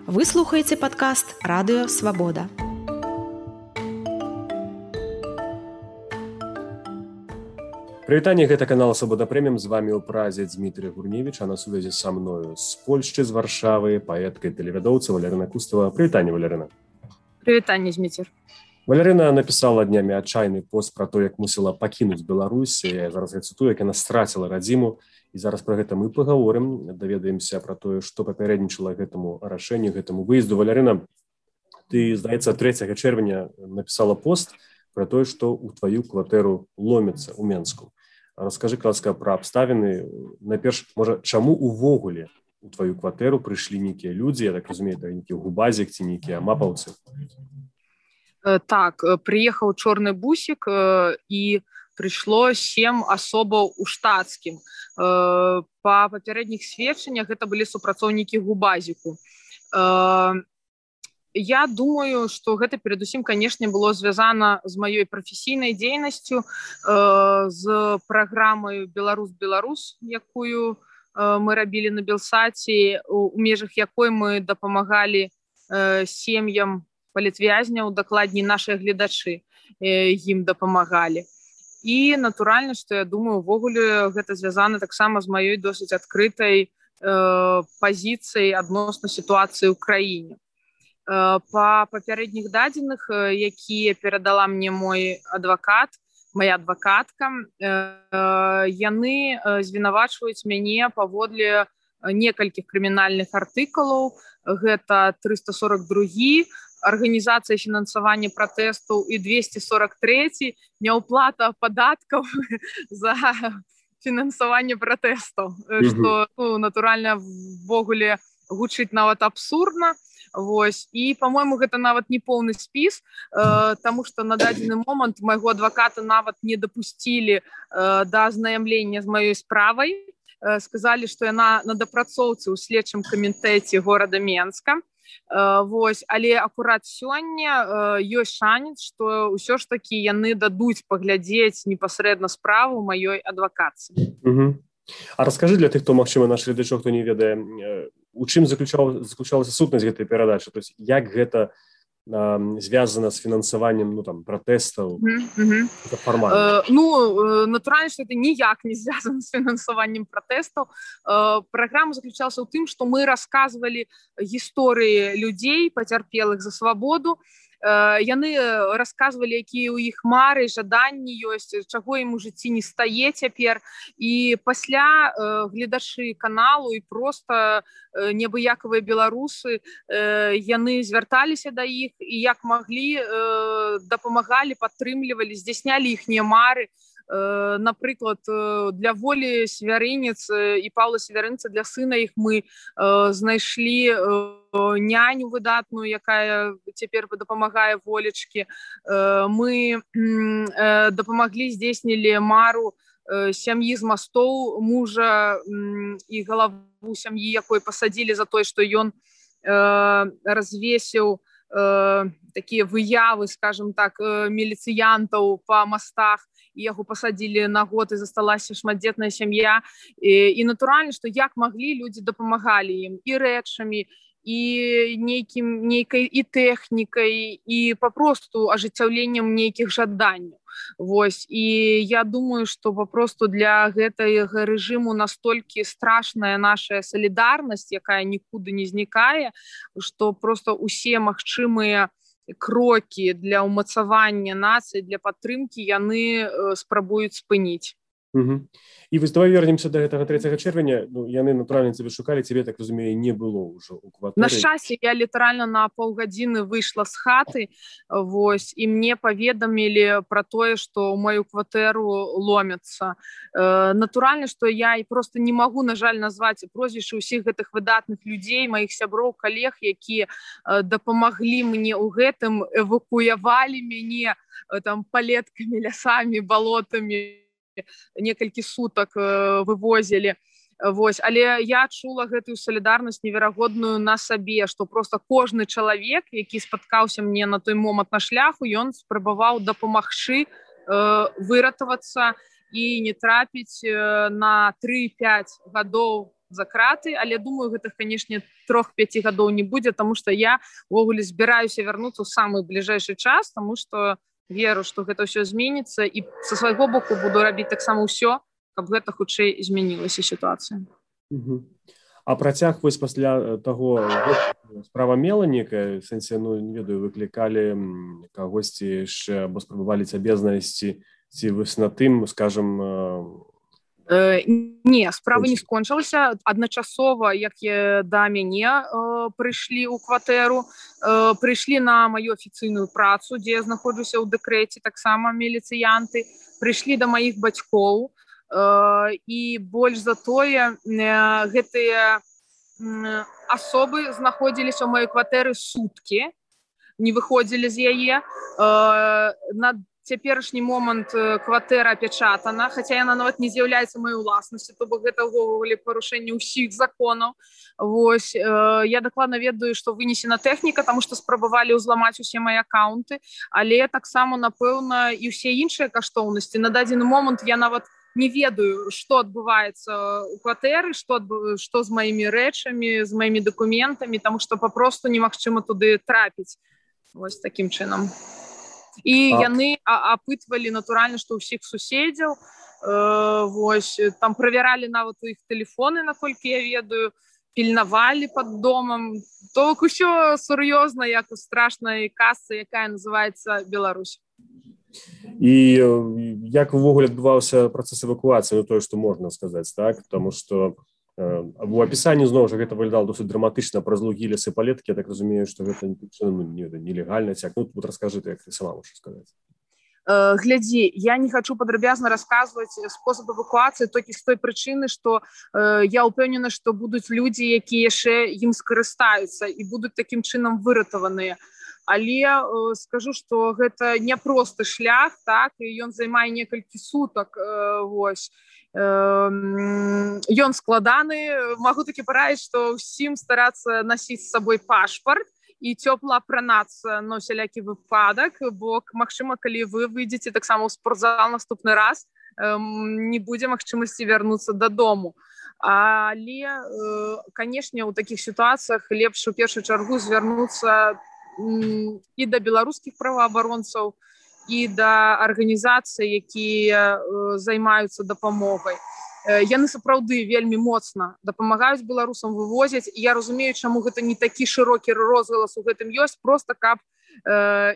Вы слухаеце падкаст Радыё Свабода. Прывітанне, гэта канал Свабода Прэміум, з вамі ў празе Дмітрий Гурневіч, а на сувязі са мною з Польшчы, з Варшавы, паэтка і тэлевядоўца Валярына Кустава. Прывітанне, Валярына. Прывітанне, Дміцер. Валярына напісала днямі адчайны пост пра то, як мусіла пакінуць Беларусь. Я зараз цытую, як яна страціла радзіму. І зараз пра гэта мы пагаворым, даведаемся пра тое, што папярэднічала гэтаму рашэнню, гэтаму выезду. Валярына, ты, здаецца, 3 чэрвеня напісала пост пра тое, што ў тваю кватэру ломіцца ў Менску. Раскажы, ласка, пра абставіны. Найперш, можа, чаму увогуле у тваю кватэру прыйшлі нейкія людзі, я так разумею, это нейкі губазік ці нейкія мапаўцы? Так, прыехаў чорны бусік і прыйшло 7 асобаў у штатскім. Па папярэдніх сведчаннях гэта былі супрацоўнікі губазіку. Я думаю, што гэта перадусім, канешне, было звязана з маёй прафесійнай дзейнасцю, з праграмай «Беларус-Беларус», якую мы рабілі на Белсаце, у межах якой мы дапамагалі сем'ям палітвязняў, дакладней нашыя гледачы ім дапамагалі. І натуральна, што я думаю, увогуле гэта звязана таксама з маёй досыць адкрытай пазіцыяй адносна сітуацыі ў краіне. Па папярэдніх дадзеных, якія перадала мне моя адвакатка, яны звінавачваюць мяне паводле некалькіх крымінальных артыкулаў. Гэта 342 арганізацыя фінансавання пратэстаў і 243 няўплата падаткаў за фінансаванне пратэстаў, што натуральна ввогуле гучыць нават абсурдна. Вось. І, па-мойму, гэта нават не поўны спіс, таму што на дадзены момант майго адваката нават не дапусцілі да азнаямлення з маёй справай. Сказалі, што яна на дапрацоўцы ў следчым камітэце горада Менска. Вось. Але акурат сёння ёсць шанец, што ўсё ж такі яны дадуць паглядзець непасрэдна справу маёй адвакацыі. А раскажы для тых, хто, магчыма, наш гледачоў, хто не ведае, у чым заключалася сутнасць гэтай перадачы? То есть, як гэта звязана з фінансаваннем пратэстаў? Натуральна, што это ніяк не звязана з фінансаваннем пратэстаў. Праграма заключалася ў тым, што мы расказвалі гісторыі людзей, пацярпелых за свабоду. Яны расказвалі, якія ў іх мары, жаданні ёсць, чаго ім у жыцці не стае цяпер. І пасля гледачы каналу і проста неабыякавыя беларусы, яны звярталіся да іх і як маглі дапамагалі, падтрымлівалі, здзяйснялі іхнія мары. Напрыклад, для Волі Свярынец і Паўла Свярынца, для сына іх мы знайшлі няню выдатную, якая цяпер дапамагае Волечкі. Мы дапамаглі, здзейснілі мару сям'і з мастоў, мужа і галаву сям'і, якой пасадзілі за тое, што ён развесіў такія выявы, скажем так, міліцыянтаў па мастах, і яго пасадзілі на год, і засталася шматдзетная сям'я. І натуральна, што як маглі, людзі дапамагалі ім і рэчамі, і нейкай і тэхнікай, і папросту ажыццяўленнем нейкіх жаданняў. Вось. І я думаю, што папросту для гэтага рэжыму настолькі страшная наша салідарнасць, якая нікуды не знікае, што проста ўсе магчымыя крокі для ўмацавання нацыі, для падтрымкі яны спрабуюць спыніць. І вось давай вернемся да гэтага 3 чэрвеня. Яны, натуральна, цябе шукалі, цябе, так разумею, не было ўжо ў кватэры. На шчасце, я літаральна на паўгадзіны выйшла з хаты, вось, і мне паведамілі пра тое, што ў маю кватэру ломяцца. Натуральна, што я проста не магу, на жаль, назваць прозвішчы ўсіх гэтых выдатных людзей, маіх сяброў, калег, якія дапамаглі мне ў гэтым, эвакуявалі мяне палеткамі, лясамі, балотамі, некалькі сутак вывозілі. Вось. Але я адчула гэтую салідарнасць неверагодную на сабе, што проста кожны чалавек, які спаткаўся мне на той момант на шляху, ён спрабаваў дапамагчы выратавацца і не трапіць на 3-5 гадоў за краты, але думаю, гэта, канешне, 3-5 гадоў не будзе, таму што я увогуле збіраюся вярнуцца ў самы бліжэйшы час, таму што веру, што гэта ўсё зменіцца, і са свайго боку буду рабіць таксама ўсё, каб гэта хутчэй змянілася сітуацыя. А працяг вось пасля таго справа мела некая, в сэнсе, ну, не ведаю, выклікалі кагосьці яшчэ, або спрабавалі цябе знайсці, ці вось на тым, скажам... Не, справа не скончылася. Адначасова, як да мяне прыйшлі ў кватэру, прыйшлі на маю афіцыйную працу, дзе я знаходжуся ў дэкрэце, таксама міліцыянты, прыйшлі да маіх бацькоў, і больш за тое, гэтыя асобы знаходзіліся ў маёй кватэры суткі, не выходзілі з яе. На цяперашні момант кватэра апячатана, хаця яна нават не з'яўляецца маёй уласнасцю, то бок гэта ўвогуле парушэнне ўсіх законаў. Вось, я дакладна ведаю, што вынесена тэхніка, таму што спрабавалі ўзламаць усе мае акаунты, але таксама, напэўна, і ўсе іншыя каштоўнасці. На дадзены момант я нават не ведаю, што адбываецца ў кватэры, што з маімі рэчамі, з маімі дакументамі, таму што папросту немагчыма туды трапіць. Вось такім чынам. І яны апытвалі, натуральна, што ўсіх суседзяў, вось, там правяралі нават у іх тэлефоны, наколькі я ведаю, пільнавалі пад домам. То бок усё сур'ёзна, як у страшнай казцы, якая называецца Беларусь. І як увогуле адбываўся працэс эвакуацыі, ну, тое, што можна сказаць, так? Таму што у апісанні, зноў жа, гэта выглядала досыць драматычна праз лугі, лесы, палеткі. Я так разумею, што гэта нелегальна. Ну, вот раскажы ты, як ты сама можаш сказаць. Глядзі, я не хачу падрабязна расказваць спосаб эвакуацыі толькі з той прычыны, што я ўпэўнена, што будуць людзі, якія яшчэ ім скарыстаюцца і будуць такім чынам выратаваныя. Але скажу, што гэта няпросты шлях, так, і ён займае некалькі сутак, вось. Ён складаны, магу такі параіць, што ўсім старацца насіць з сабой пашпарт і цёпла апранацца на ўсялякі выпадак, бо, магчыма, калі вы выйдзеце таксама ў спортзал наступны раз, не будзе магчымасці вярнуцца дадому. Але, канешне, у такіх сітуацыях лепш у першую чаргу звярнуцца і да беларускіх праваабаронцаў, і да арганізацый, якія займаюцца дапамогай. Яны сапраўды вельмі моцна дапамагаюць беларусам, вывозяць. І я разумею, чаму гэта не такі шырокі розгалас у гэтым ёсць, проста каб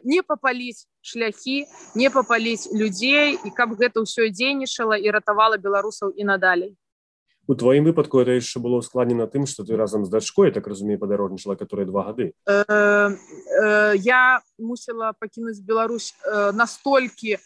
не папаліць шляхі, не папаліць людзей, і каб гэта ўсё дзейнічала і ратавала беларусаў і надалей. У твоім выпадку это яшчэ было ускладнена тым, што ты разам з дачкой, так разумею, падарожнічала, которая 2 гады. Я мусіла пакінуць Беларусь настолькі,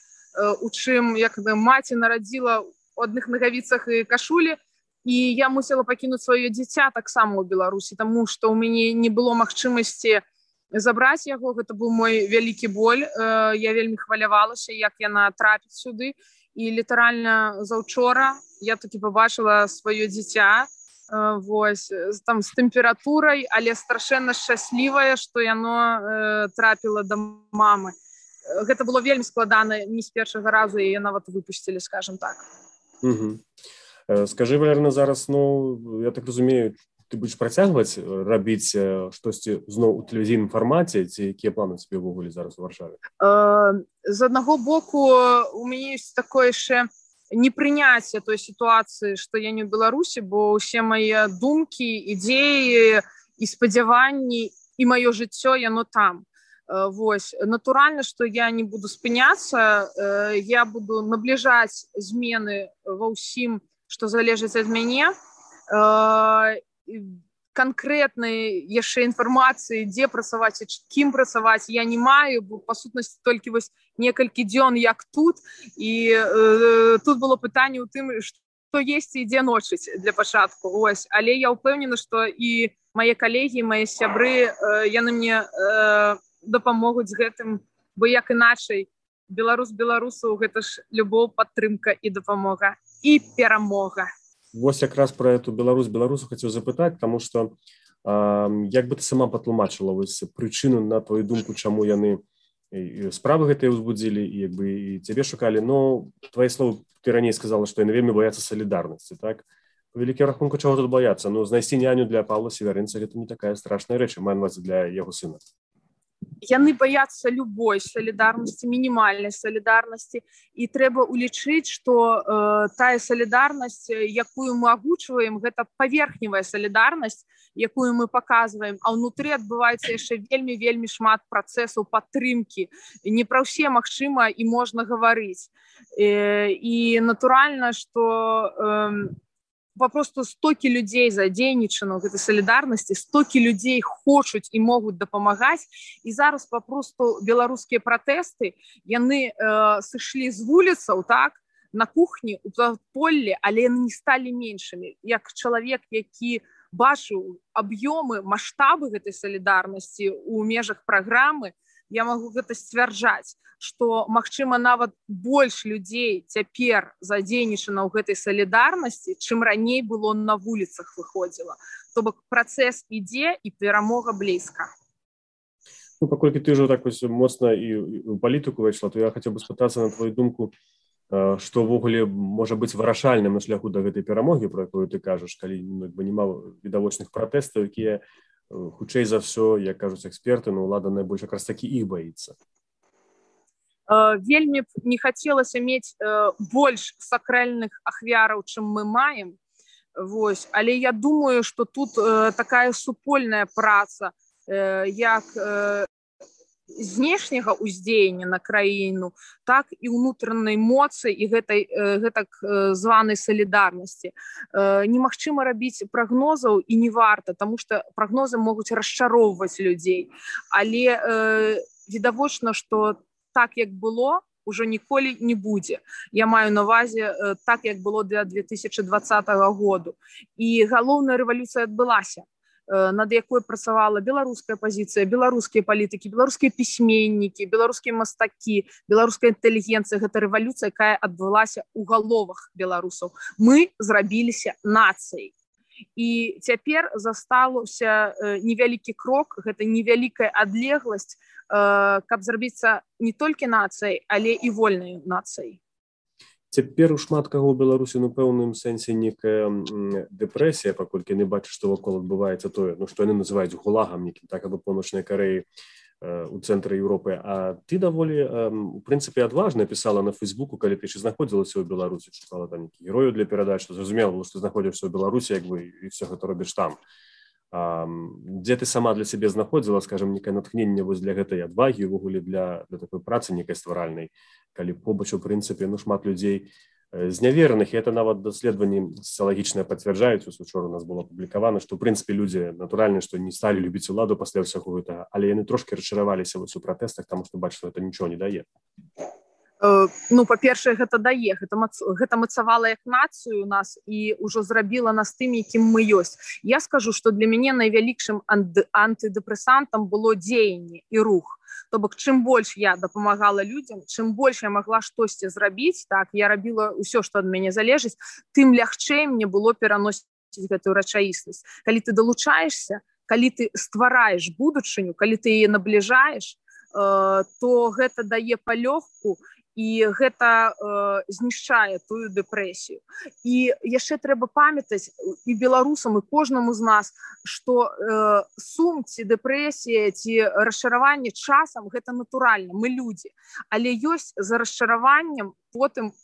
у чым, як маці нарадзіла у адных нагавіцах і кашулі, і я мусіла пакінуць сваё дзіця таксама ў Беларусі, таму што ў мяне не было магчымасці забраць яго. Гэта быў мой вялікі боль. Я вельмі хвалявалася, як яна трапіць сюды. І літаральна заўчора я такі пабачыла сваё дзіця, вось, там з тэмпературай, але страшэнна шчаслівая, што яно трапіла да мамы. Гэта было вельмі складана, не з першага разу яе нават выпусцілі, скажам так. Скажы, Валерна, зараз, ну, я так разумею, ты будзеш працягваць рабіць штосьці зноў у тэлевізійным фармаце, ці якія планы цябе ўвогуле зараз у Варшаве? З аднаго боку, у мяне ёсць такое яшчэ непрыняцце той сітуацыі, што я не ў Беларусі, бо ўсе мае думкі, ідзеі і спадзяванні і маё жыццё, яно там. Вось, натуральна, што я не буду спыняцца, я буду набліжаць змены ва ўсім, што залежыць ад мяне. Канкрэтнай яшчэ інфармацыі, дзе працаваць і кім працаваць, я не маю, бо па сутнасці толькі вось некалькі дзён як тут, і тут было пытанне ў тым, што есці і дзе ночыць для пачатку. Ось, але я ўпэўнена, што і мае калегі, мае сябры, яны мне дапамогуць з гэтым, бо як іначай беларус беларусаў гэта ж любоў, падтрымка і дапамога і перамога. Вось якраз пра эту беларусу хацеў запытаць, таму што як бы ты сама патлумачыла вось прычыну, на твою думку, чаму яны справы гэтыя ўзбудзілі і як бы і цябе шукалі. Но твае словы, ты раней сказала, што яны вельмі баяцца салідарнасці, так? Вялікі рахунку, чаго тут баяцца? Ну, знайсці няню для Паўла Северынца гэта не такая страшная рэч, маю на ўвазе для яго сына. Яны баяцца любой салідарнасці, мінімальнай салідарнасці, і трэба ўлічыць, што тая салідарнасць, якую мы агучваем, гэта паверхневая салідарнасць, якую мы паказваем, а ўнутры адбываецца яшчэ вельмі шмат працэсаў падтрымкі. Не пра ўсе магчыма і можна гаварыць. І натуральна, што попросту стокі людзей задзейнічана ў гэтай салідарнасці, стокі людзей хочуць і могуць дапамагаць, і зараз попросту беларускія пратэсты, яны сышлі з вуліцаў, так, на кухні, у падполлі, але яны не сталі меншымі. Як чалавек, які бачыў аб'ёмы, маштабы гэтай салідарнасці ў межах праграмы, я магу гэта сцвярджаць, што, магчыма, нават больш людзей цяпер задзейнічана ў гэтай салідарнасці, чым раней было на вуліцах выходзіла. То бок працэс ідзе і перамога блізка. Ну, паколькі ты ўжо так моцна і ў палітыку выйшла, то я хацеў бы спытацца на твою думку, што ўвогуле можа быць вырашальным на шляху да гэтай перамогі, про якую ты кажаш, калі няма відавочных пратэстаў, якія хутчэй за ўсё, як кажуць эксперты, ну, ўлада найбольш якраз такі іх баіцца. Вельмі б не хацелася мець больш сакральных ахвяраў, чым мы маем. Вось. Але я думаю, што тут такая супольная праца, як знешняга ўздзеяння на краіну, так і ўнутранай моцы і гэтак званай салідарнасці. Немагчыма рабіць прагнозаў і не варта, таму што прагнозы могуць расчароўваць людзей. Але відавочна, што так, як было, ўжо ніколі не будзе. Я маю на ўвазе так, як было для 2020 году. І галоўная рэвалюцыя адбылася, над якой працавала беларуская пазіцыя, беларускія палітыкі, беларускія пісьменнікі, беларускія мастакі, беларуская інтэлігенцыя. Гэта рэвалюцыя, якая адбылася ў галовах беларусаў. Мы зрабіліся нацыяй. І цяпер застаўся невялікі крок, гэта невялікая адлегласць, каб зрабіцца не толькі нацыяй, але і вольнай нацыяй. Цяпер у шмат каго ў Беларусі, ну, пэўным сэнсе некая дэпрэсія, паколькі не бачыш, што вакол адбываецца тое, ну, што яны называюць гулагам некім, так, або Паўночнай Карэі у цэнтры Еўропы. А ты даволі, у прынцыпе, адважна пісала на Фейсбуку, калі ты ще знаходзілася ў Беларусі, шукала там нейкі герою для перадач, што зразумела, што знаходзішся ў Беларусі, як бы, і все гэта робіш там. Дзе ты сама для сябе знаходзіла, скажем, некае натхненне вось для гэтай адвагі, увогуле для такой працы некай стваральнай, калі побач, у прынцыпе, ну, шмат людзей знявераных, і это нават даследаванні сацыялагічныя пацвярджаюць, учора у нас было апублікавана, што, у прынцыпе, людзі, натуральна, што не сталі любіць уладу пасля ўсяго гэтага, але яны трошкі расчараваліся вось у пратэстах, таму што бачаць, што гэта нічого не дае. Ну, па-першае, гэта дае, гэта мацавала як нацыю у нас і ўжо зрабіла нас тым, якім мы ёсць. Я скажу, што для мяне найвялікшым антыдэпрэсантам было дзеянне і рух. То бок, чым больш я дапамагала людзям, чым больш я магла штосьці зрабіць, так, я рабіла ўсё, што ад мяне залежыць, тым лягчэй мне было пераносіць гэтую рэчаіснасць. Калі ты далучаешся, калі ты ствараеш будучыню, калі ты яе набліжаеш, то гэта дае палёгку, і гэта знішчае тую дэпрэсію. І яшчэ трэба памятаць і беларусам, і кожнаму з нас, што сум ці дэпрэсія ці расчараванне часам гэта натуральна, мы людзі. Але ёсць за расчараваннем потым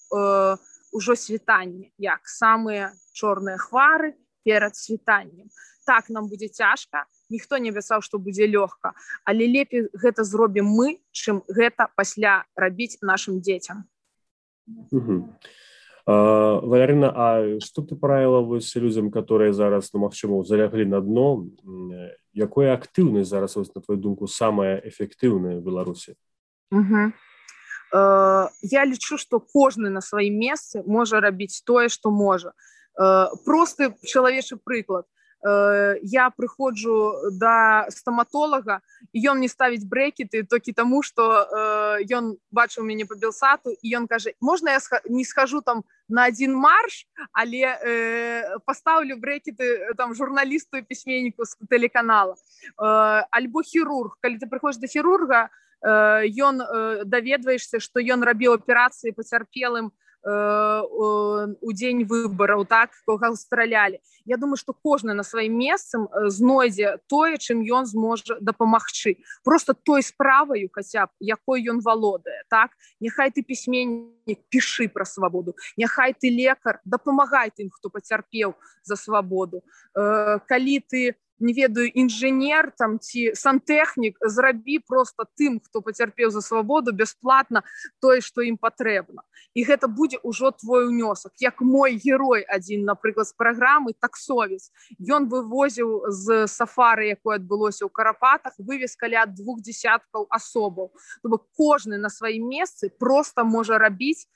ужо світанне, як самыя чорныя хвары перад світаннем. Так, нам будзе цяжка, ніхто не абяцаў, што будзе лёгка, але лепей гэта зробім мы, чым гэта пасля рабіць нашым дзецям. Валярына, а што ты параіла вось людзям, которые зараз, ну, магчыма, заляглі на дно, якая актыўнасць зараз, на твою думку, самая эфектыўная ў Беларусі? Я лічу, што кожны на сваім месцы можа рабіць тое, што можа. Просты чалавечы прыклад. Я прыходжу да стаматолага, і ён мне ставіць брэкеты толькі таму, што ён бачыў мяне па Белсату, і ён кажа, можна я не схожу там на один марш, але пастаўлю брэкеты там журналісту і пісьменніку з тэлеканала. Альбо хірург. Калі ты прыходзіш да хірурга, ён даведваешся, што ён рабіў аперацыі пацярпелым у дзень выбараў, так, кого стралялі. Я думаю, што кожны на сваім месцам знойдзе тое, чым ён зможа дапамагчы. Просто той справаю, хаця б, якой ён валодае, так? Няхай ты пісьменнік, пішы пра свабоду. Няхай ты лекар, дапамагай тым, хто пацярпеў за свабоду. Калі ты, не ведаю, інжынер там ці сантэхнік, зрабі просто тым, хто пацярпеў за свабоду, бясплатна тое, што ім патрэбна. І гэта будзе ўжо твой унёсак. Як мой герой адзін, напрыклад, з праграмы «Таксовец». Ён вывозіў з сафары, якое адбылося ў Карапатах, вывез каля 20 асобаў. Тобто кожны на сваім месцы просто можа рабіць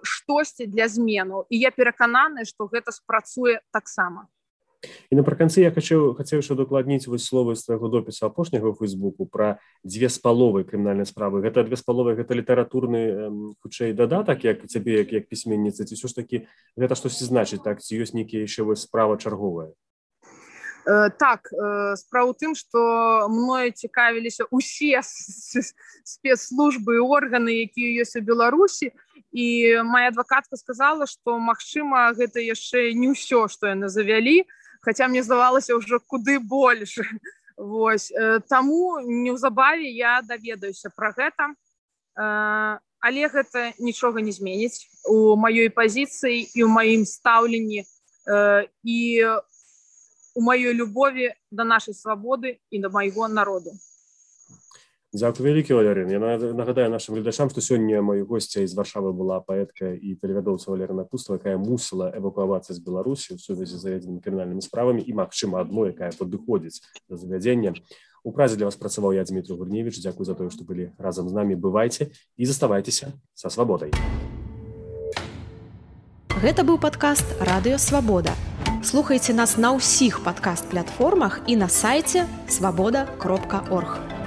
штосьці для зменаў. І я перакананая, што гэта спрацуе таксама. І напрыканцы я хацеў яшчэ дакладніць вось словы з твайго допісу апошняга ў Фейсбуку пра 2,5 крымінальнай справы. Гэта 2,5 гэта літаратурны хутчэй дадатак, як цябе як пісьменніцы, ці ўсё ж такі гэта штосьці значыць, так, ці ёсць нейкія яшчэ вось справа чарговая? Так, справа ў тым, што мною цікавіліся ўсе спецслужбы і органы, якія ёсць у Беларусі, і моя адвакатка сказала, што, магчыма, гэта яшчэ не ўсё, што яны завялі, хаця мне здавалася ўжо куды больш. Вось. Таму неўзабаве я даведаюся пра гэта, але гэта нічога не зменіць у маёй пазіцыі і ў маім стаўленні і у маёй любові да нашай свабоды і да майго народу. Дзякуй вялікі, Валерына. Я нагадаю нашим гледачам, што сёння маёй госцяй з Варшавы была паэтка і тэлевядоўца Валерына Пустава, якая мусіла эвакуавацца з Беларусі ў сувязі з заведзенымі крымінальнымі справамі і, магчыма, адной, якая падыходзіць да завядзення. У празе для вас працаваў я, Дмітрий Гурневіч. Дзякуй за тое, што былі разам з намі. Бывайце і заставайцеся са свабодай. Гэта быў падкаст «Радыё Свабода». Слухайце нас на ўсіх падкаст-платформах і на сайце свабода.орг.